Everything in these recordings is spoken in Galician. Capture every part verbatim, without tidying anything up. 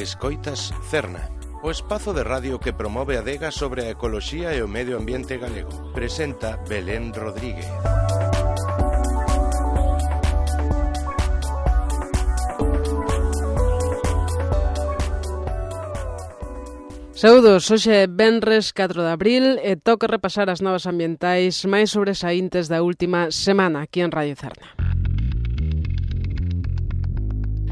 Escoitas Cerna, o espazo de radio que promove a adega sobre a ecoloxía e o medio ambiente galego. Presenta Belén Rodríguez. Saúdos, hoxe é venres catro de abril e toca repasar as novas ambientais máis sobresaíntes da última semana aquí en Radio Cerna.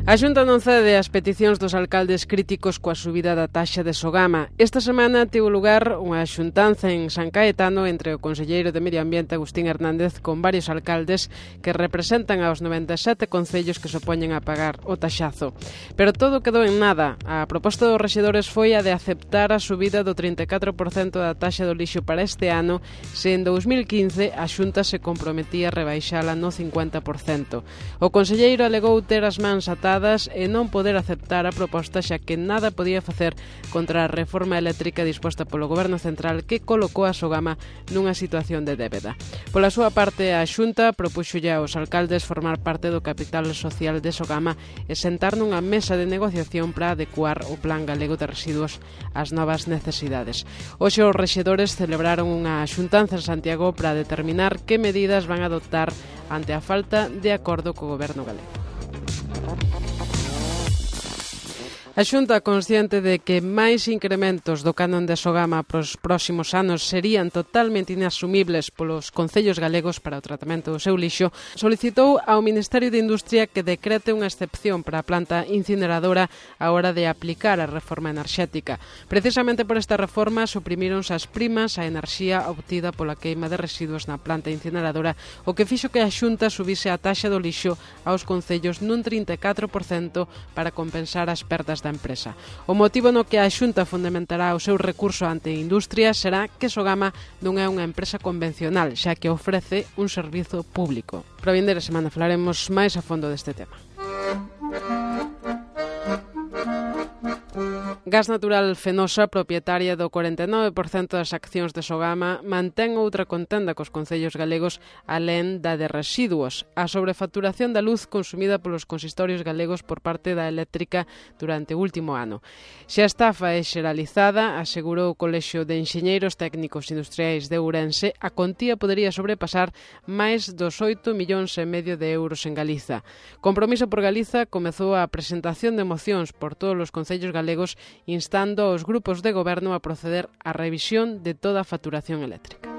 A Xunta non cede as peticións dos alcaldes críticos coa subida da taxa de Sogama. Esta semana tivo lugar unha xuntanza en San Caetano entre o conselleiro de Medio Ambiente Agustín Hernández con varios alcaldes que representan aos noventa e sete concellos que se opoñen a pagar o taxazo. Pero todo quedou en nada. A proposta dos rexedores foi a de aceptar a subida do trinta e catro por cento da taxa do lixo para este ano, se en dous mil quince a Xunta se comprometía a rebaixala no cincuenta por cento. O conselleiro alegou ter as mans atadas e non poder aceptar a proposta xa que nada podía facer contra a reforma eléctrica disposta polo Goberno Central que colocou a Sogama nunha situación de débeda. Pola súa parte, a Xunta propuxolle aos alcaldes formar parte do capital social de Sogama e sentar nunha mesa de negociación para adecuar o Plan Galego de Residuos ás novas necesidades. Hoxe os rexedores celebraron unha xuntanza en Santiago para determinar que medidas van a adoptar ante a falta de acordo co Goberno galego. A Xunta, consciente de que máis incrementos do canon de Sogama para os próximos anos serían totalmente inasumibles polos concellos galegos para o tratamento do seu lixo, solicitou ao Ministerio de Industria que decrete unha excepción para a planta incineradora á hora de aplicar a reforma enerxética. Precisamente por esta reforma suprimíronse as primas á enerxía obtida pola queima de residuos na planta incineradora, o que fixo que a Xunta subise a taxa do lixo aos concellos nun trinta e catro por cento para compensar as perdas da empresa. O motivo no que a Xunta fundamentará o seu recurso ante a industria será que Sogama non é unha empresa convencional, xa que ofrece un servizo público. Para a vindeira semana falaremos máis a fondo deste tema. Gas Natural Fenosa, propietaria do corenta e nove por cento das accións de Sogama, mantén outra contenda cos concellos galegos alén da de residuos, a sobrefacturación da luz consumida polos consistorios galegos por parte da eléctrica durante o último ano. Se a estafa é xeralizada, asegurou o Colexio de Enxeñeiros Técnicos Industriais de Ourense, a contía podería sobrepasar máis dos oito millóns e medio de euros en Galiza. Compromiso por Galiza comezou a presentación de mocións por todos os concellos galegos instando aos grupos de goberno a proceder á revisión de toda a facturación eléctrica.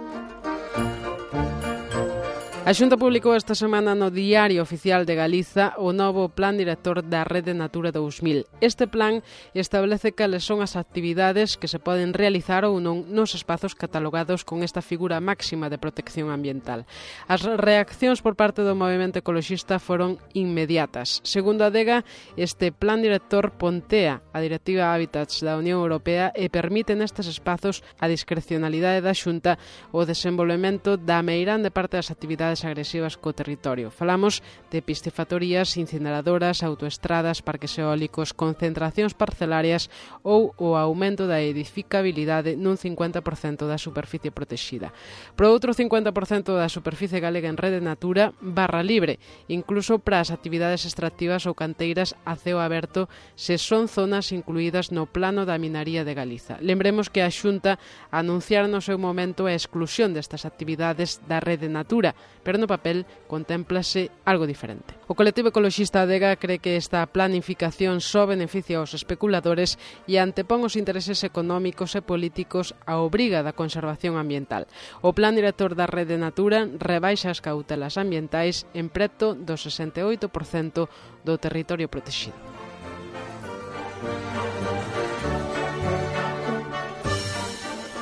A Xunta publicou esta semana no Diario Oficial de Galiza o novo Plan Director da Rede Natura dous mil. Este plan establece cales son as actividades que se poden realizar ou non nos espazos catalogados con esta figura máxima de protección ambiental. As reaccións por parte do movemento ecoloxista foron inmediatas. Segundo a Adega, este Plan Director pontea a Directiva Hábitats da Unión Europea e permite nestes espazos a discrecionalidade da Xunta o desenvolvemento da meirande parte das actividades agresivas co territorio. Falamos de piscifactorías, incineradoras, autoestradas, parques eólicos, concentracións parcelarias ou o aumento da edificabilidade nun cincuenta por cento da superficie protexida. Por outro cincuenta por cento da superficie galega en Rede Natura barra libre, incluso para as actividades extractivas ou canteiras a ceo aberto se son zonas incluídas no Plano da Minaría de Galiza. Lembremos que a Xunta anunciara no seu momento a exclusión destas actividades da Rede Natura, pero no papel contémplase algo diferente. O colectivo ecoloxista Adega cree que esta planificación só beneficia aos especuladores e antepón os intereses económicos e políticos á obriga da conservación ambiental. O Plan Director da Rede Natura rebaixa as cautelas ambientais en preto do sesenta e oito por cento do territorio protegido.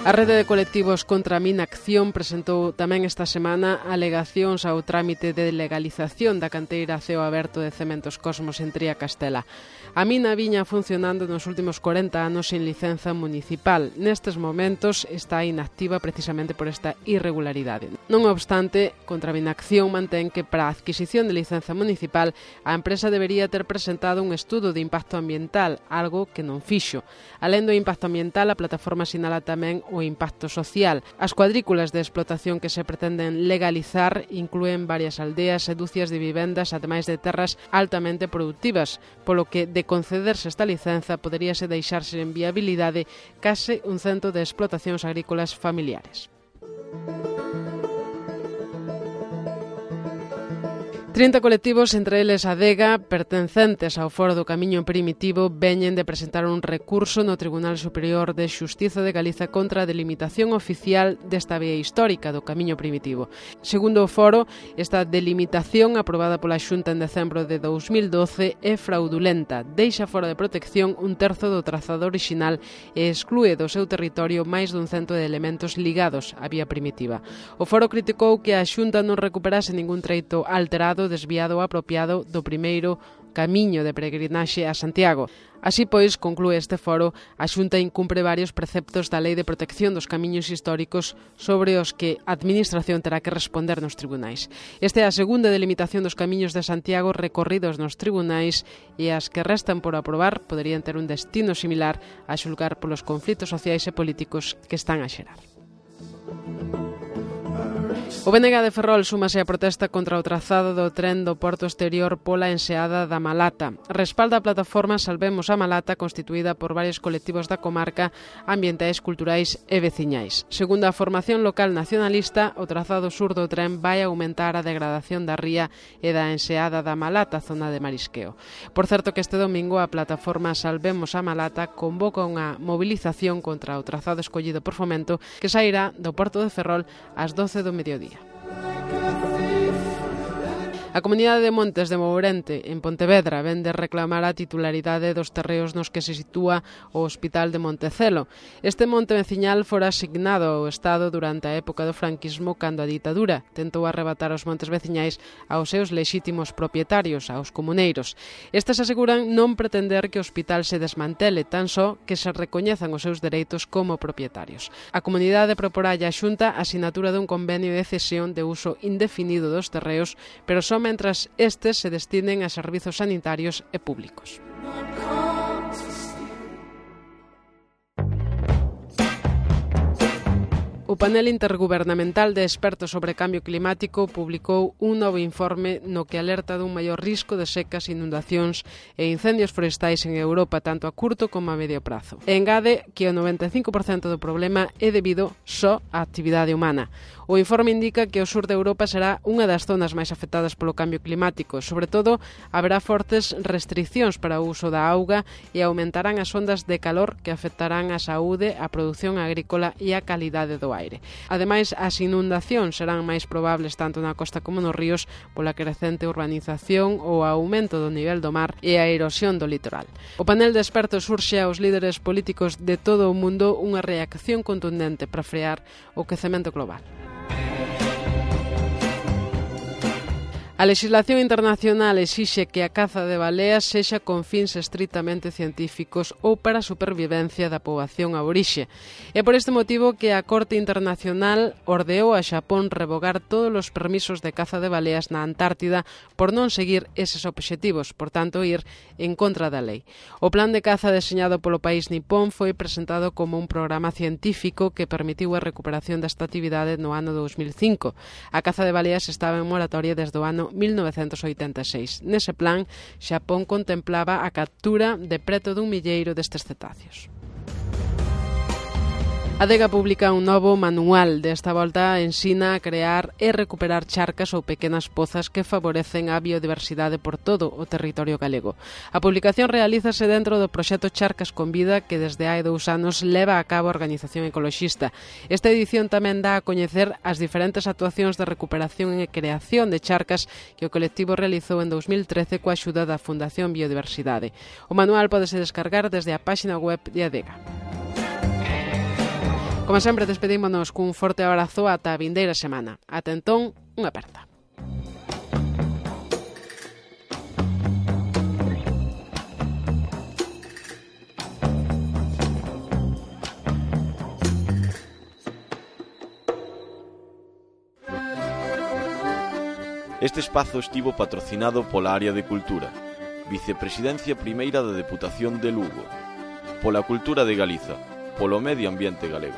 A Rede de Colectivos contra a Minacción presentou tamén esta semana alegacións ao trámite de legalización da canteira a ceo aberto de Cementos Cosmos en Tría Castela. A mina viña funcionando nos últimos corenta anos sin licenza municipal. Nestes momentos está inactiva precisamente por esta irregularidade. Non obstante, contra a Minacción mantén que para a adquisición de licenza municipal a empresa debería ter presentado un estudo de impacto ambiental, algo que non fixo. Alén do impacto ambiental, a plataforma sinala tamén o impacto social. As cuadrículas de explotación que se pretenden legalizar inclúen varias aldeas e dúcias de vivendas, ademais de terras altamente productivas, polo que, de concederse esta licenza, poderíase deixarse en viabilidade case un cento de explotacións agrícolas familiares. trinta colectivos, entre eles a Adega, pertencentes ao Foro do Camiño Primitivo, veñen de presentar un recurso no Tribunal Superior de Xustiza de Galiza contra a delimitación oficial desta vía histórica do Camiño Primitivo. Segundo o Foro, esta delimitación, aprobada pola Xunta en decembro de dous mil doce, é fraudulenta, deixa fora de protección un terzo do trazado orixinal e exclúe do seu territorio máis dun cento de elementos ligados á vía primitiva. O Foro criticou que a Xunta non recuperase ningún treito alterado, desviado ou apropiado do primeiro camiño de peregrinaxe a Santiago. Así pois, conclúe este foro, a Xunta incumpre varios preceptos da Lei de Protección dos Camiños Históricos sobre os que a Administración terá que responder nos tribunais. Esta é a segunda delimitación dos camiños de Santiago recorridos nos tribunais e as que restan por aprobar poderían ter un destino similar a xulgar polos conflitos sociais e políticos que están a xerar. O B N G de Ferrol súmase a protesta contra o trazado do tren do porto exterior pola enseada da Malata. Respalda a plataforma Salvemos a Malata, constituída por varios colectivos da comarca, ambientais, culturais e veciñais. Segundo a formación local nacionalista, o trazado sur do tren vai aumentar a degradación da ría e da enseada da Malata, zona de marisqueo. Por certo que este domingo a plataforma Salvemos a Malata convoca unha movilización contra o trazado escollido por Fomento que sairá do porto de Ferrol ás doce do mediodía. A Comunidade de Montes de Mourente, en Pontevedra, ven de reclamar a titularidade dos terreos nos que se sitúa o Hospital de Montecelo. Este monte veciñal fora asignado ao Estado durante a época do franquismo, cando a ditadura tentou arrebatar os montes veciñais aos seus lexítimos propietarios, aos comuneiros. Estes aseguran non pretender que o hospital se desmantele, tan só que se recoñezan os seus dereitos como propietarios. A comunidade proporalle á Xunta a sinatura dun convenio de cesión de uso indefinido dos terreos, pero só mentras estes se destinen a servizos sanitarios e públicos. O panel intergubernamental de expertos sobre cambio climático publicou un novo informe no que alerta dun maior risco de secas, inundacións e incendios forestais en Europa, tanto a curto como a medio prazo. E engade que o noventa e cinco por cento do problema é debido só á actividade humana. O informe indica que o sur de Europa será unha das zonas máis afectadas polo cambio climático. Sobre todo, haberá fortes restriccións para o uso da auga e aumentarán as ondas de calor que afectarán a saúde, a produción agrícola e a calidade do aire. Ademais, as inundacións serán máis probables tanto na costa como nos ríos pola crecente urbanización ou aumento do nivel do mar e a erosión do litoral. O panel de expertos urxe aos líderes políticos de todo o mundo unha reacción contundente para frear o quecemento global. A legislación internacional exixe que a caza de baleas sexa con fins estritamente científicos ou para a supervivencia da poboación aborixe. É por este motivo que a Corte Internacional ordeou a Xapón revogar todos os permisos de caza de baleas na Antártida por non seguir eses obxectivos, por tanto, ir en contra da lei. O plan de caza deseñado polo país nipón foi presentado como un programa científico que permitiu a recuperación desta actividade no ano dous mil cinco. A caza de baleas estaba en moratoria desde o ano mil novecentos oitenta e seis. Nese plan, Xapón contemplaba a captura de preto dun milleiro destes cetáceos. A Adega publica un novo manual. Desta volta ensina a crear e recuperar charcas ou pequenas pozas que favorecen a biodiversidade por todo o territorio galego. A publicación realízase dentro do proxecto Charcas con Vida que desde hai dous anos leva a cabo a organización ecoloxista. Esta edición tamén dá a coñecer as diferentes actuacións de recuperación e creación de charcas que o colectivo realizou en dous mil trece coa axuda da Fundación Biodiversidade. O manual pódese descargar desde a páxina web de Adega. Como sempre, despedímonos cun forte abrazo ata a vindeira semana. Ata entón, unha aperta. Este espazo estivo patrocinado pola Área de Cultura, Vicepresidencia Primeira da Deputación de Lugo, pola Cultura de Galiza, polo Medio Ambiente Galego.